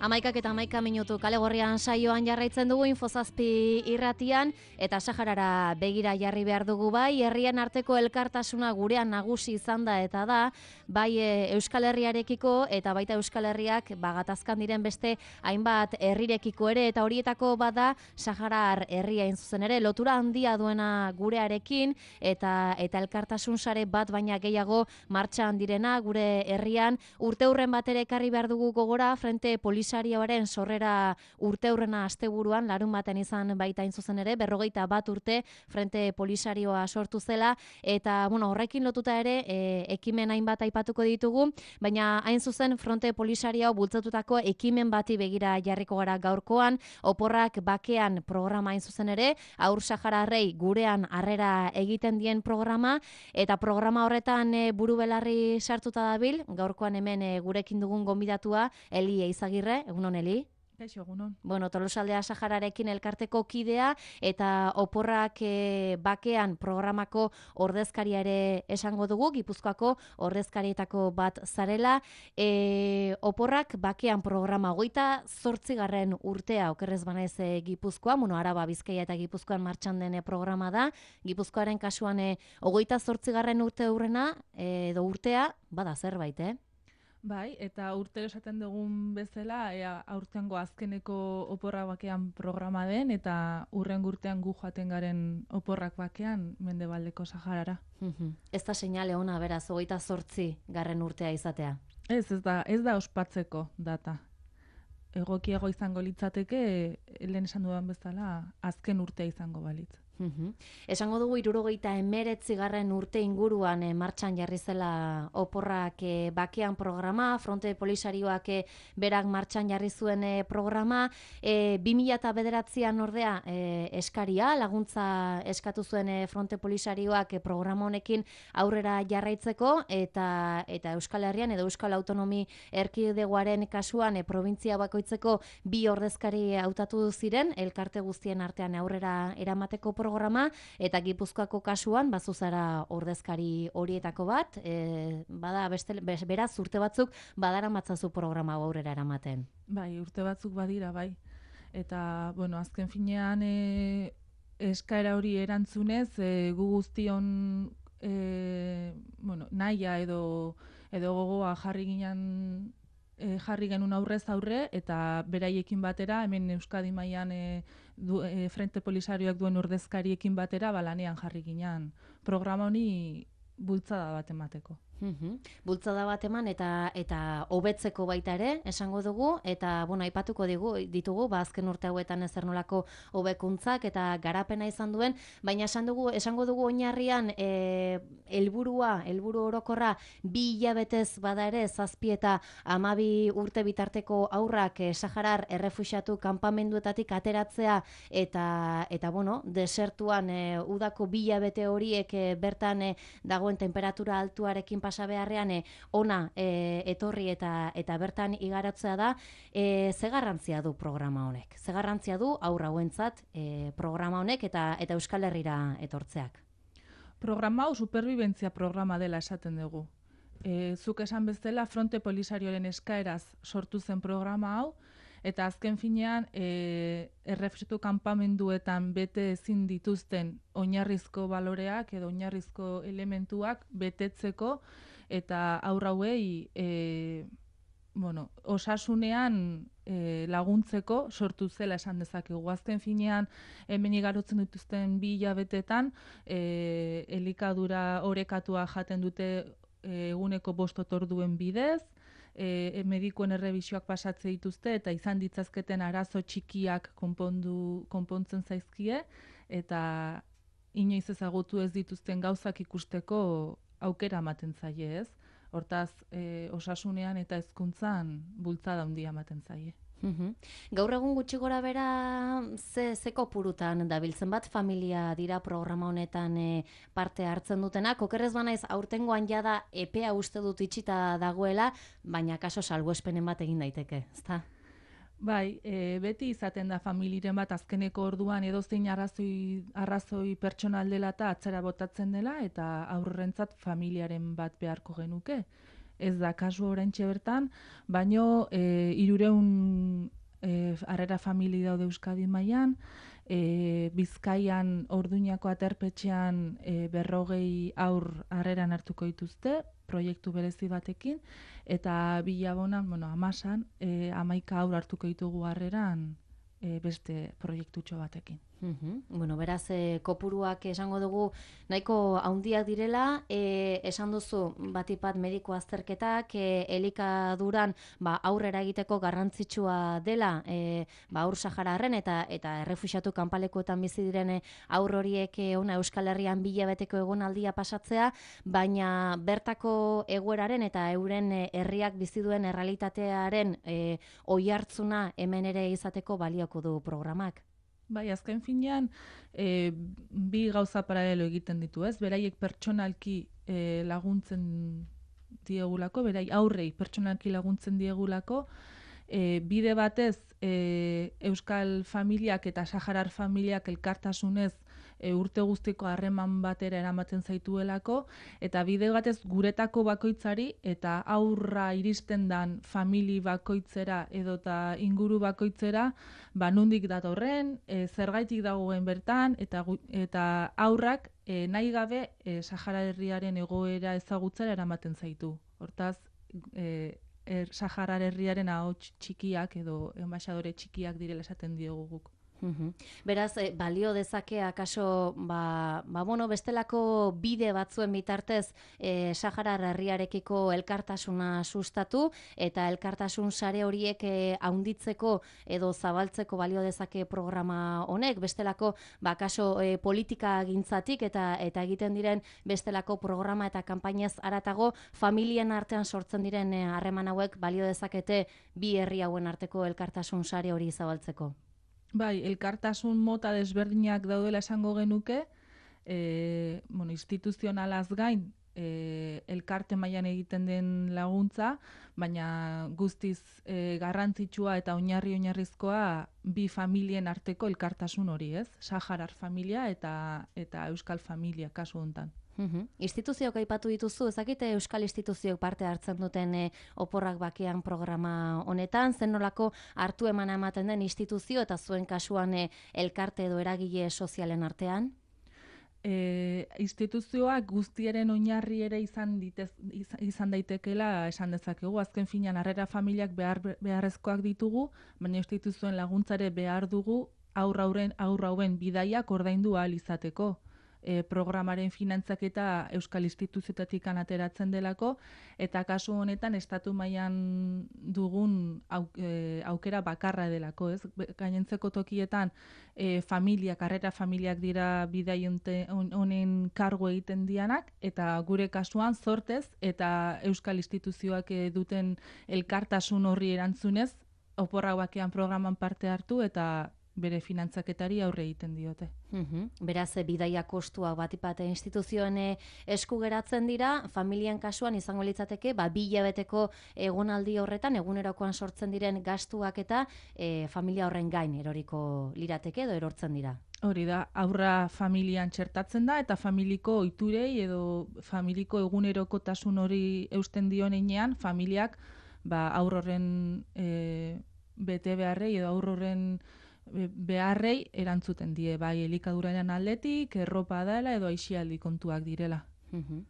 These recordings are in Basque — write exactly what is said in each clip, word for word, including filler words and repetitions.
Amaikak eta amaika minutu kale gorrian saioan jarraitzen dugu Infozazpi irratian eta Saharara begira jarri behar dugu bai, herrien arteko elkartasuna gurean nagusi izan da eta da, bai Euskal Herriarekiko eta baita Euskal Herriak bagatazkan diren beste hainbat herrirekiko ere eta horietako bada Saharar herria hain zuzen ere, lotura handia duena gurearekin eta eta elkartasun sare bat baina gehiago martxan direna gure herrian urteurren bat ere ekarri behar dugu gogora Frente Polisarioaren sorrera urteurrena asteburuan larun baten izan baita hain zuzen ere, berrogeita bat urte Frente Polisarioa sortu zela eta bueno, horrekin lotuta ere e, ekimen hainbat aipatuko ditugu, baina hain zuzen Frente Polisario bultzatutako ekimen bati begira jarriko gara gaurkoan, oporrak bakean programa hain zuzen ere, Haur Sahararrei gurean harrera egiten dien programa eta programa horretan e, buru belarri sartuta dabil, gaurkoan hemen e, gurekin dugun gonbidatua Eli Eizagirre, egunon Eli? Kaixo, egunon. Bueno, Tolosaldea Sahararekin elkarteko kidea eta oporrak e, bakean programako ordezkaria ere esango dugu, Gipuzkoako ordezkarietako bat zarela. E, oporrak bakean programa hogeita zortzigarren urtea, okerrez banaiz e, Gipuzkoa, bueno, Araba, Bizkaia eta Gipuzkoan martxan den programa da. Gipuzkoaren kasuan e, hogeita zortzigarren urte hurrena, e, edo urtea, bada zerbait, eh? Bai, eta urtero esaten dugun bezala, ea aurtengo azkeneko oporrak bakean programa den, eta urren urtean gu joaten garen oporrak bakean Mendebaldeko Saharara. Ez da seinale ona beraz, hogeita zortzi garren urtea izatea. Ez, ez da, ez da ospatzeko data. Egokiago izango litzateke, lehen esan dudan bezala, azken urtea izango balitz. Uhum. Esango dugu hirurogeita hemeretzigarren urte inguruan e, martxan jarri zela oporrak e, bakean programa, Fronte Polisarioak e, berak martxan jarri zuen e, programa, e, bi mila bederatzian ordea e, eskaria, laguntza eskatu zuen e, Fronte Polisarioak e, programa honekin aurrera jarraitzeko eta eta Euskal Herrian edo Euskal Autonomi Erkidegoaren kasuan e, probintzia bakoitzeko bi ordezkari hautatu ziren, elkarte guztien artean aurrera eramateko programa programa, eta Gipuzkoako kasuan bazu zara ordezkari horietako bat, e, bada beste, beraz urte batzuk badara matzazu programa aurrera eramaten. Bai, urte batzuk badira, bai. Eta, bueno, azken finean e, eskaera hori erantzunez, e, gu guztion e, bueno, nahia edo, edo gogoa jarri ginen E, jarri genuen aurrez aurre eta beraiekin batera, hemen Euskadi mailan e, e, Frente Polisarioak duen ordezkariekin batera balanean jarri ginen programa honi bultzada bat emateko. Uhum. Bultzada bat eman eta eta hobetzeko baita ere esango dugu eta bueno, aipatuko digu ditugu ba azken urte hauetan ezer nolako hobekuntzak eta garapena izan duen, baina esan dugu esango dugu oinarrian e, helburua, helburu orokorra bi hilabetez bada ere zazpi eta hamabi urte bitarteko haurrak e, Saharar errefuxiatu kanpamenduetatik ateratzea eta eta bueno, desertuan e, udako bi hilabete horiek e, bertan e, dagoen temperatura altuarekin pasa beharrean e, ona e, etorri eta eta bertan igaratzea da, e, ze garrantzia du programa honek? Ze garrantzia du aurra hauentzat e, programa honek eta eta Euskal Herrira etortzeak? Programa hau superbibentzia programa dela esaten dugu. E, zuk esan bezala Fronte Polisarioaren eskaeraz sortu zen programa hau, eta azken finean e, errefuxiatu kanpamenduetan bete ezin dituzten oinarrizko baloreak edo oinarrizko elementuak betetzeko eta haur hauei e, bueno, osasunean e, laguntzeko sortu zela esan dezakegu. Azken finean hemen igarotzen dituzten bi hilabetetan e, elikadura orekatua jaten dute eguneko bost otorduen bidez, e, medikuen errebisioak pasatze dituzte eta izan ditzazketen arazo txikiak konpondu, konpontzen zaizkie eta inoiz ezagutu ez dituzten gauzak ikusteko aukera ematen zaie, ez? Hortaz, e, osasunean eta hezkuntzan bultzada handia ematen zaie. Uhum. Gaur egun gutxi gora bera ze, ze kopurutan dabiltzen bat familia dira programa honetan e, parte hartzen dutenak, okerrez banaiz aurtengoan jada epea uste dut itxita dagoela, baina kaso salbuespenen bat egin daiteke, ezta? Bai, e, beti izaten da familiren bat azkeneko orduan edozein arrazoi, arrazoi pertsonal dela eta atzera botatzen dela eta aurrentzat familiaren bat beharko genuke. ez da kasu oraintxe bertan, baino e, irureun e, harrera famili daude Euskadi mailan, e, Bizkaian Orduñako aterpetxean e, berrogei aur harreran hartuko dituzte, proiektu berezi batekin, eta Bilabonan, bueno, Amasan, e, hamaika aur hartuko ditugu harreran e, beste proiektutxo batekin. Uhum. Bueno, beraz, e, kopuruak esango dugu nahiko handiak direla, e, esan duzu batipat mediko azterketak, e, elikaduran ba, aurrera egiteko garrantzitsua dela, e, ba, aur sahararren eta eta errefuxiatu kanpalekuetan bizi diren aur horiek e, ona Euskal Herrian bilabeteko egonaldia pasatzea, baina bertako egoeraren eta euren e, herriak bizi duen errealitatearen e, oihartzuna hemen ere izateko balioko du programak. Bai, azken finean, e, bi gauza paralelo egiten ditu, ez? Beraiek pertsonalki e, laguntzen diegulako, berai aurrei pertsonalki laguntzen diegulako, e, bide batez e, Euskal familiak eta Saharar familiak elkartasunez e, urte guztiko harreman batera eramaten zaituelako, eta bide batez guretako bakoitzari eta aurra iristen dan famili bakoitzera edota inguru bakoitzera, ba nondik datorren, e, zergaitik dagoen bertan, eta, eta aurrak e, nahi gabe e, Sahara herriaren egoera ezagutzera eramaten zaitu. Hortaz, e, er, Sahara herriaren ahots txikiak edo enbaxadore txikiak direla esaten diogu guk. Uhum. Beraz, eh, balio dezake akaso ba, ba, bueno, bestelako bide batzuen bitartez eh, Saharar herriarekiko elkartasuna sustatu eta elkartasun sare horiek eh, haunditzeko edo zabaltzeko balio dezake programa honek, bestelako ba, akaso eh, politika gintzatik eta eta egiten diren bestelako programa eta kanpainaz haratago familien artean sortzen diren harreman eh, hauek balio dezakete bi herri hauen arteko elkartasun sare hori zabaltzeko. Bai, elkartasun mota desberdinak daudela esango genuke, e, bueno, instituzionalaz gain, e, elkarte mailan egiten den laguntza, baina guztiz e, garrantzitsua eta oinarri oinarrizkoa bi familien arteko elkartasun hori, ez? Saharar familia eta eta Euskal familia kasu hontan. Uhum. Instituzioak aipatu dituzu, ezakite Euskal instituzioak parte hartzen duten e, oporrak bakean programa honetan, zen nolako hartu emana ematen den instituzio eta zuen kasuan e, elkarte edo eragile sozialen artean? E, instituzioak guztiaren oinarri ere izan, ditez, izan daitekela esan dezakegu. Azken finean harrera familiak behar, beharrezkoak ditugu, baina instituzioen laguntzare behar dugu aurra hauen aurra hauen bidaiak ordaindu ahal izateko. E, programaren finantzaketa Euskal instituzioetatik ateratzen delako, eta kasu honetan estatu mailan dugun au, e, aukera bakarra delako, ez? Gainentzeko tokietan e, familiak, harrera familiak dira bidai honen kargo egiten dianak, eta gure kasuan zortez eta Euskal instituzioak e, duten elkartasun horri erantzunez, oporrak bakean programan parte hartu eta bere finantzaketari aurre egiten diote. Uhum. Beraz, bidaia kostua batipate instituzioen esku geratzen dira, familien kasuan izango litzateke, ba, bi hilabeteko egonaldi horretan, egunerokoan sortzen diren gastuak eta e, familia horren gain eroriko lirateke edo erortzen dira. Hori da, aurra familian txertatzen da eta familiko ohiturei edo familiko egunerokotasun hori eusten dionean, familiak ba, aur horren e, bete beharrei edo aur horren beharrei erantzuten die, bai elikaduraren aldetik, erropa dela edo aisialdi kontuak direla. Uhum.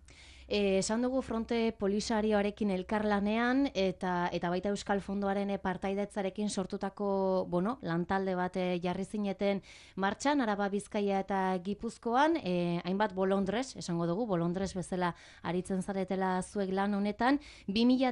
Eh, esan dugu Fronte Polisarioarekin elkarlanean eta eta baita Euskal Fondoaren partaidetzarekin sortutako, bueno, lantalde bat jarri zineten martxan, Araba, Bizkaia eta Gipuzkoan, eh, hainbat bolondrez, esango dugu, bolondrez bezala aritzen zaretela zuek lan honetan, bi mila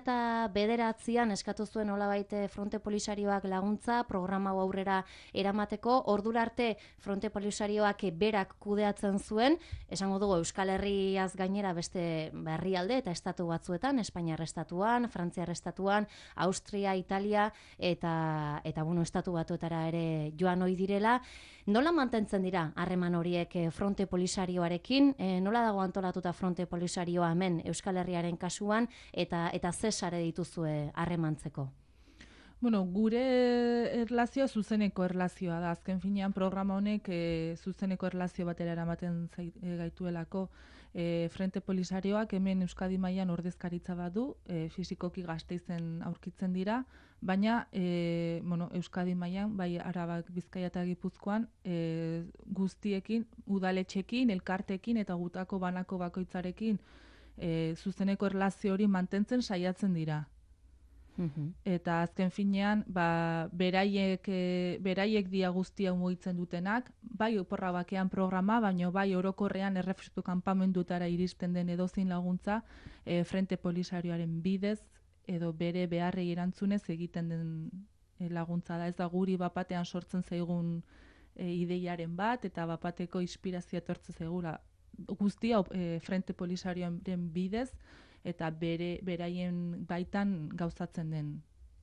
bederatzian eskatu zuen nolabait Fronte Polisarioak laguntza, programa hau aurrera eramateko, ordura arte Fronte Polisarioak berak kudeatzen zuen, esango dugu Euskal Herriaz gainera beste herrialde eta estatu batzuetan, Espainiar estatuan, Frantziar estatuan, Austria, Italia eta eta bueno, estatu batuetara ere joan ohi direla. Nola mantentzen dira harreman horiek Fronte Polisarioarekin? E, nola dago antolatuta Fronte Polisarioa hemen Euskal Herriaren kasuan eta eta ze sare dituzue harremantzeko? Bueno, gure erlazioa zuzeneko erlazioa da. Azken finean programa honek e, zuzeneko erlazio batera eramaten zait, e, gaituelako. E, Frente Polisarioak hemen Euskadi mailan ordezkaritza badu, e, fisikoki Gasteizen aurkitzen dira, baina e, bueno, Euskadi mailan bai Arabak, Bizkaia eta Gipuzkoan e, guztiekin, udaletxekin, elkartekin eta gutako banako bakoitzarekin e, zuzeneko erlazio hori mantentzen saiatzen dira. Eta azken finean, ba, beraiek, e, beraiek dia guztia mugitzen dutenak, bai oporra bakean programa, baino bai orokorrean errefuxiatu kanpamendutara iristen den edozein laguntza e, Frente Polisarioaren bidez edo bere beharrei erantzunez egiten den e, laguntza da. Ez da guri bapatean sortzen zaigun e, ideiaren bat eta bapateko inspirazioa etortzen zaigula. Guztia e, Frente Polisarioaren bidez eta bere beraien baitan gauzatzen den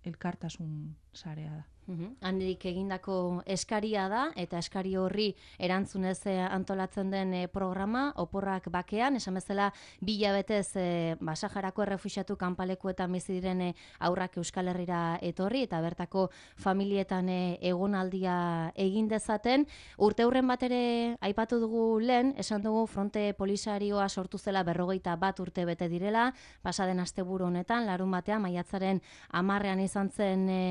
elkartasun sarea da. Uhum. Handik egindako eskaria da, eta eskari horri erantzunez antolatzen den e, programa, oporrak bakean, esan bezala bilabetez e, ba, Saharako errefuxiatu kanpalekuetan bizi diren e, aurrak Euskal Herrira etorri, eta bertako familietan e, egonaldia egin dezaten. Urteurren bat ere aipatu dugu lehen, esan dugu Fronte Polisarioa sortu zela berrogeita bat urte bete direla, pasaden asteburu honetan, larun batean, maiatzaren hamarrean izan zen e,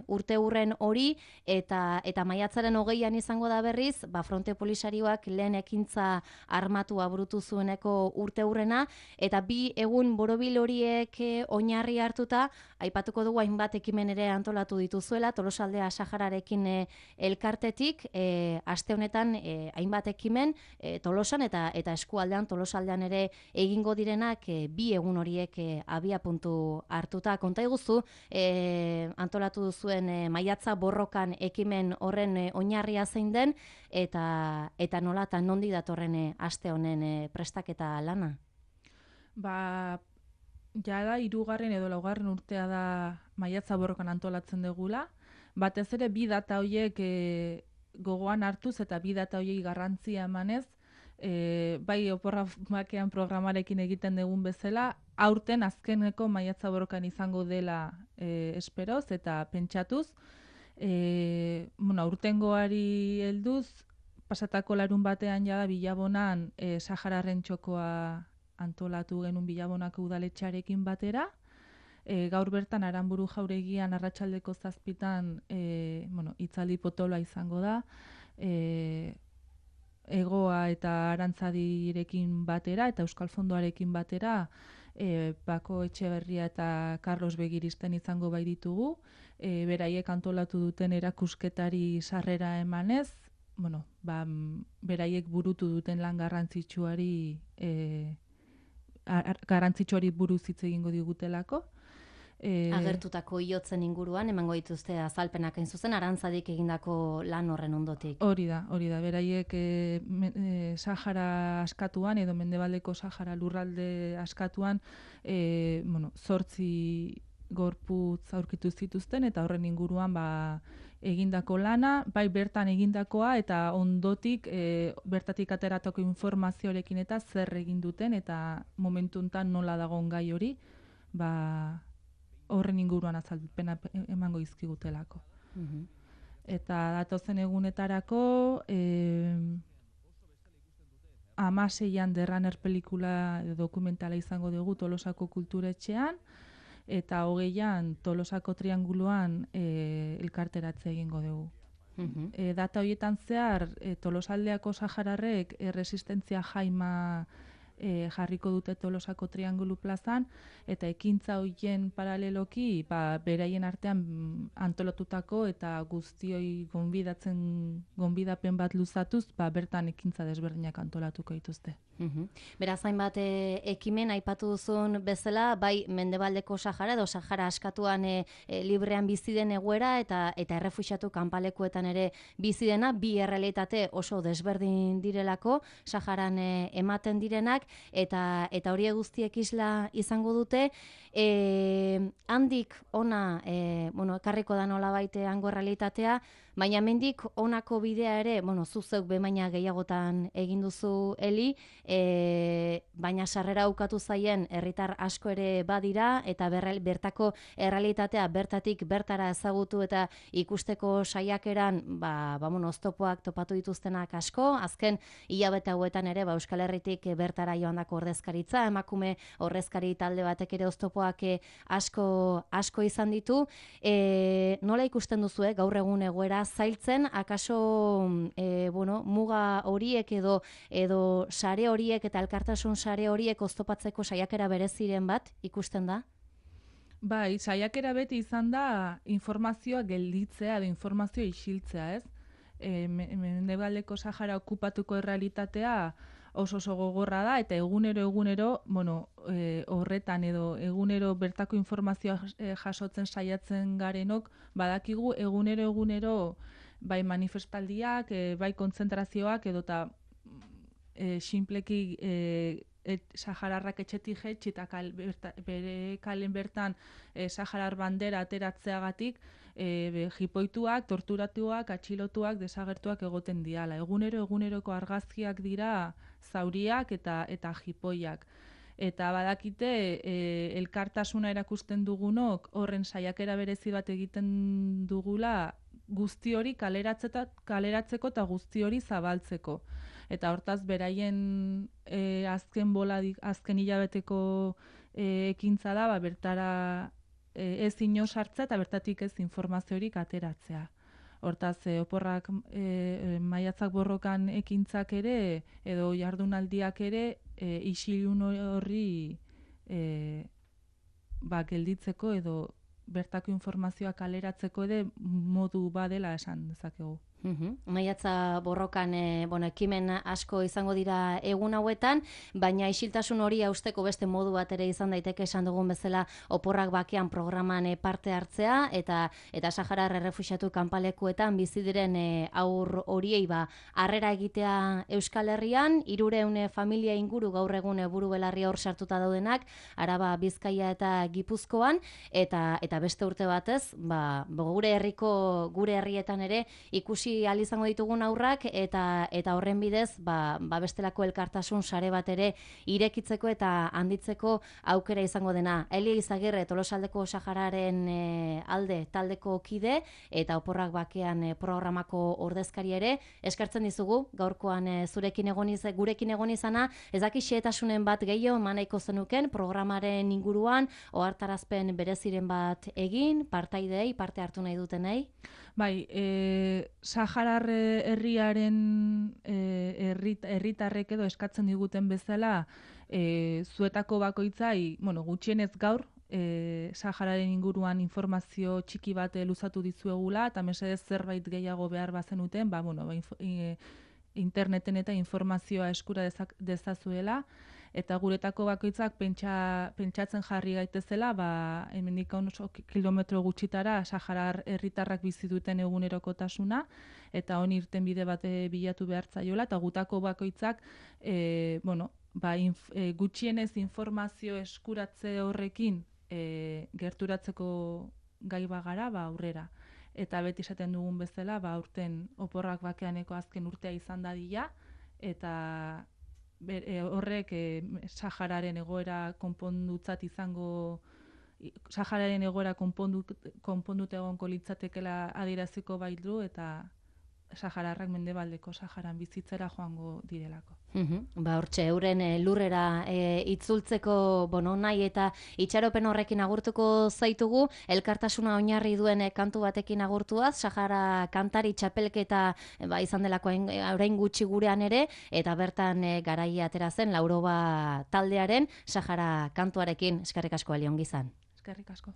urteurren hori, eta eta maiatzaren hogeian izango da berriz, ba Fronte Polisarioak lehen ekintza armatua burutu zueneko urteurrena, eta bi egun borobil horiek oinarri hartuta, aipatuko dugu hainbat ekimen ere antolatu dituzuela, Tolosaldea Sahararekin e, elkartetik, e, aste honetan e, hainbat ekimen e, Tolosan eta eta eskualdean Tolosaldean ere egingo direnak e, bi egun horiek e, abia puntu hartuta. Konta iguzu, e, antolatu duzuen e, maiatza borrokan ekimen horren e, oinarria zein den, eta eta nola eta nondi datorren e, aste honen e, prestaketa lana? Ba, jada hirugarren edo laugarren urtea da maiatza borrokan antolatzen degula. Batez ere bi data horiek e, gogoan hartuz eta bi data horiei garrantzia emanez, e, bai oporra bakean programarekin egiten dugun bezala, aurten azkeneko maiatza borrokan izango dela e, esperoz eta pentsatuz. E, bueno, aurtengoari helduz, pasatako larun batean jada Bilabonan e, Sahararen txokoa antolatu genuen Bilabonako udaletxarekin batera. E, gaur bertan Aranburu jauregian arratsaldeko zazpitan e, bueno, itzaldi potoloa izango da. E, Egoa eta Arantzadirekin batera eta Euskal Fondoarekin batera e, Bako Etxeberria eta Carlos Begiristen izango bai ditugu. E, beraiek antolatu duten erakusketari sarrera emanez, bueno, ba, beraiek burutu duten lan garrantzitsuari e, ar, garrantzitsuari buruz hitz egingo digutelako. E, Agertutako iotzen inguruan, emango dituzte azalpenak hain zuzen, Arantzadik egindako lan horren ondotik. Hori da, hori da, beraiek e, e, Sahara askatuan, edo Mendebaldeko Sahara lurralde askatuan, e, bueno, zortzi gorputz aurkitu zituzten, eta horren inguruan ba, egindako lana, bai bertan egindakoa, eta ondotik e, bertatik ateratako informazioarekin eta zer egin duten, eta momentu honetan nola dagoen gai hori, ba, horren inguruan azalpena emango izkigutelako. Mhm. Eta datozen egunetarako e, amaseian derraner pelikula dokumentala izango dugu Tolosako kulturetxean, eta hogeian Tolosako trianguluan e, elkarteratze egingo dugu. Mhm. E, data horietan zehar, e, Tolosaldeako sahararrek erresistentzia jaima e, jarriko dute Tolosako triangulu plazan, eta ekintza horien paraleloki, ba, beraien artean antolatutako eta guztioi gonbidatzen gonbidapen bat luzatuz, ba, bertan ekintza desberdinak antolatuko dituzte. Mhm. Beraz, hainbat e, ekimen aipatu duzun bezala, bai Mendebaldeko Sahara edo Sahara askatuan e, e, librean bizi den egoera eta eta errefuxiatu kanpalekuetan ere bizi dena, bi errealitate oso desberdin direlako Saharan e, ematen direnak, eta eta hori guztiek isla izango dute. E, handik ona e, bueno, ekarriko da nolabait hango errealitatea, baina mendik honako bidea ere, bueno, zuzek bemaina gehiagotan egin duzu Eli, e, baina sarrera ukatu zaien herritar asko ere badira, eta berre, bertako errealitatea bertatik bertara ezagutu eta ikusteko saiakeran ba, ba, bueno, oztopoak topatu dituztenak asko. Azken hilabete hauetan ere ba, Euskal Herritik bertara joandako ordezkaritza, emakume ordezkari talde batek ere oztopoak asko, asko izan ditu. E, nola ikusten duzue gaur egun egoera zailtzen, akaso e, bueno, muga horiek edo edo sare horiek eta elkartasun sare horiek oztopatzeko saiakera bereziren bat ikusten da? Bai, saiakera beti izan da informazioa gelditzea edo informazioa isiltzea, ez? E, Mendebaldeko Sahara okupatuko errealitatea oso oso gogorra da, eta egunero egunero, bueno, e, horretan edo egunero bertako informazioa jasotzen saiatzen garenok, badakigu egunero egunero bai manifestaldiak, e, bai kontzentrazioak edo eta e, sinpleki e, et, sahararrak etxetik jetxi eta kal, berta, bere kalen bertan e, saharar bandera ateratzeagatik e, be, jipoituak, torturatuak, atxilotuak, desagertuak egoten diala. Egunero eguneroko argazkiak dira zauriak eta eta jipoiak. Eta badakite e, elkartasuna erakusten dugunok horren saiakera berezi bat egiten dugula guzti hori kaleratzeko eta guzti hori zabaltzeko. Eta hortaz beraien e, azken boladik, azken hilabeteko e, ekintza da, ba, bertara e, ez ino sartzea eta bertatik ez informaziorik ateratzea. Hortaz, e, oporrak e, maiatzak borrokan ekintzak ere, edo jardunaldiak ere, e, isilun horri e, ba, gelditzeko edo bertako informazioa kaleratzeko ere modu badela esan dezakegu. Uhum. Maiatza borrokan e, bueno, ekimen asko izango dira egun hauetan, baina isiltasun hori hausteko beste modu bat ere izan daiteke esan dugun bezala oporrak bakean programan e, parte hartzea, eta eta Saharar errefuxiatu kanpalekuetan bizi diren e, aur horiei ba harrera egitea Euskal Herrian, hirurehun familia inguru gaur egun buru belarri hor sartuta daudenak, Araba, Bizkaia eta Gipuzkoan, eta eta beste urte batez, ba gure herriko gure herrietan ere ikusi ahal izango ditugun aurrak, eta eta horren bidez ba, ba bestelako elkartasun sare bat ere irekitzeko eta handitzeko aukera izango dena. Elia Izagirre, Tolosaldeko Sahararen e, alde taldeko kide eta oporrak bakean e, programako ordezkari ere, eskartzen dizugu gaurkoan e, zurekin egon iz, gurekin egon izana. Ez daki xehetasunen bat gehiago manaiko zenuken programaren inguruan, ohartarazpen bereziren bat egin, partaidei parte hartu nahi dutenei? Bai, e, Saharar herriaren e, herritarrek edo eskatzen diguten bezala e, zuetako bakoitzai, bueno, gutxienez gaur, e, Sahararen inguruan informazio txiki bat e, luzatu dizuegula, eta mesedez zerbait gehiago behar bazenuten, ba, bueno, ba, inf, e, interneten eta informazioa eskura dezak, dezazuela, eta guretako bakoitzak pentsa, pentsatzen jarri gaitezela, ba, hemendik oso kilometro gutxitara Saharar herritarrak bizi duten egunerokotasuna, eta honi irten bide bat bilatu behar zaiola, eta gutako bakoitzak e, bueno, ba, inf, e, gutxienez informazio eskuratze horrekin e, gerturatzeko gai bagara, ba, aurrera. Eta beti esaten dugun bezala, ba, urten oporrak bakeaneko azken urtea izan dadila, eta Ber, e, horrek e, Sahararen egoera konpondutzat izango, Sahararen egoera konpondu, konpondut egonko litzatekela adieraziko baitu, eta Sahararrak Mendebaldeko Saharan bizitzera joango direlako. Uhum. Ba, hortxe, euren e, lurrera e, itzultzeko bono nahi eta itxaropen horrekin agurtuko zaitugu, elkartasuna oinarri duen e, kantu batekin agurtuaz, Sahara kantari txapelketa e, ba, izan delako orain gutxi gurean ere, eta bertan e, garaia atera zen Lauroba taldearen Sahara kantuarekin. Eskerrik asko, Aliongizan. Eskerrik asko.